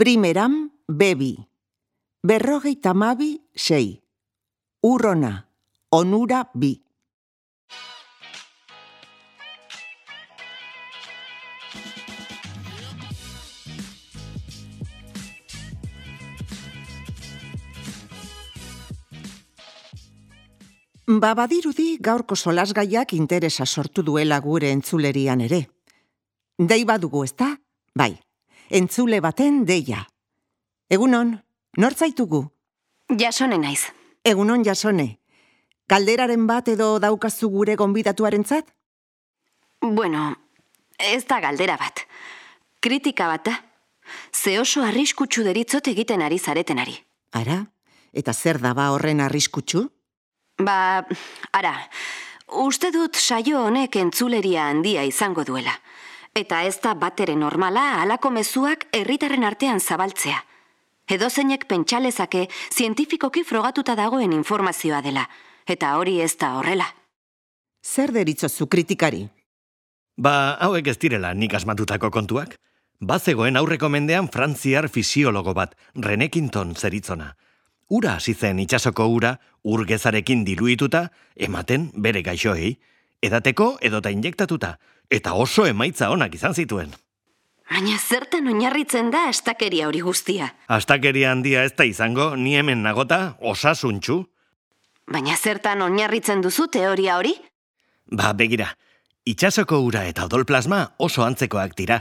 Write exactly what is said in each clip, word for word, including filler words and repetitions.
Primeran, bebi. Berrogeita hamabi, sei. Urrona, onura, bi. Ba badirudi gaurko solasgaiak interesa sortu duela gure entzulerian ere. Dei badugu, ezta? Bai, entzule baten deia. Egunon, nor zaitugu? Jasone naiz. Egunon, Jasone. Kalderaren bat edo daukazu gure gonbidatuarentzat? Bueno, ez da galdera bat. Kritika bat da. Ze oso arriskutsu deritzot egiten ari zaretenari. Ara, eta zer da ba horren arriskutsu? Ba, ara, uste dut saio honek entzuleria handia izango duela. Eta ez da batere normala halako mezuak herritarren artean zabaltzea. Edozeinek pentsalezake zientifikoki frogatuta dagoen informazioa dela. Eta hori ez da horrela. Zer deritzozu kritikari? Ba, hauek ez direla nik asmatutako kontuak. Bazegoen aurreko mendean frantziar fisiologo bat, René Quinton zeritzona. Ura hasi zen itsasoko ura, ur gezarekin diluituta, ematen bere gaixoei, edateko edota injektatuta, eta oso emaitza onak izan zituen. Baina zertan oinarritzen da astakeria hori guztia? Astakeria handia ez da izango, ni hemen nagota, osasuntxu. Baina zertan oinarritzen duzu teoria hori? Ba, begira, itsasoko ura eta odolplasma oso antzekoak dira.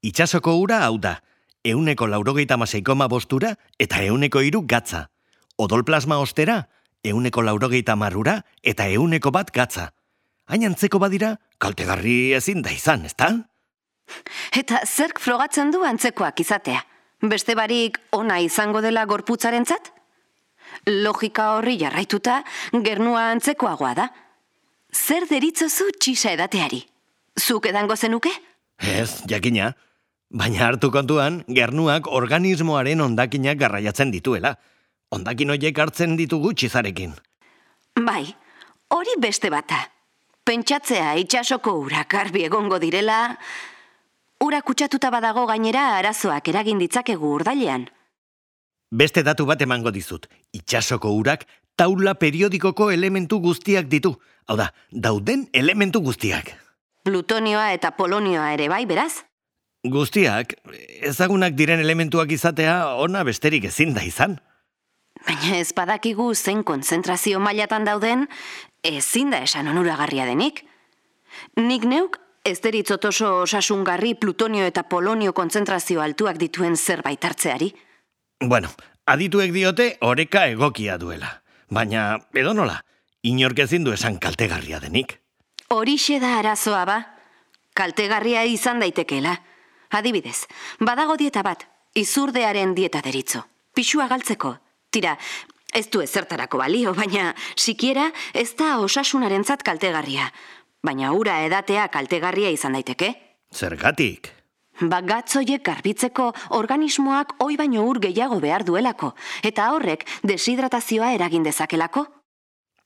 Itsasoko ura hau da, euneko laurogeita hamasei koma bostura eta euneko hiru gatza. Odolplasma ostera, euneko laurogeita hamarura eta euneko bat gatza. Hain antzeko badira, kaltegarri ezin da izan, ezta? Eta zerk frogatzen du antzekoak izatea? Beste barik ona izango dela gorputzarentzat? Logika horri jarraituta, gernua antzekoagoa da. Zer deritzozu txisa edateari? Zuk edango zenuke? Ez, jakina. Baina hartu kontuan, gernuak organismoaren hondakinak garraiatzen dituela. Hondakin horiek hartzen ditugu txizarekin. Bai, hori beste bata. Pentsatzea itsasoko urak garbi egongo direla, ura kutsatuta badago gainera arazoak eragin ditzakegu urdailean. Beste datu bat emango dizut. Itsasoko urak taula periodikoko elementu guztiak ditu. Hau da, dauden elementu guztiak. Plutonioa eta polonioa ere bai, beraz? Guztiak, ezagunak diren elementuak izatea ona besterik ezin da izan. Baina ez badakigu zein konzentrazio mailatan dauden, ezin da esan onuragarria denik. Nik neuk ez deritzot oso osasungarri plutonio eta polonio konzentrazio altuak dituen zerbait hartzeari. Bueno, adituek diote oreka egokia duela. Baina, edonola, inork ezin du esan kaltegarria denik. Horixe da arazoa ba. Kaltegarria izan daitekeela. Adibidez, badago dieta bat, izurdearen dieta deritzo. Pixua galtzeko. Tira, ez du ezertarako balio, baina sikiera ez da osasunarentzat kaltegarria. Baina ura edatea kaltegarria izan daiteke. Zergatik? Ba gatzoiek garbitzeko organismoak oi baino ur gehiago behar duelako, eta horrek deshidratazioa eragin dezakelako.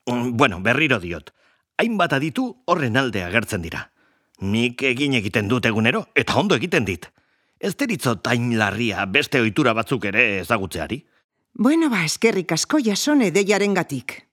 Bueno, berriro diot. Hainbat aditu horren alde agertzen dira. Nik egin egiten dut egunero, eta ondo egiten dit. Ez deritzot hain larria beste ohitura batzuk ere ezagutzeari. Bueno, ba, eskerrik asko Jasone deiarengatik.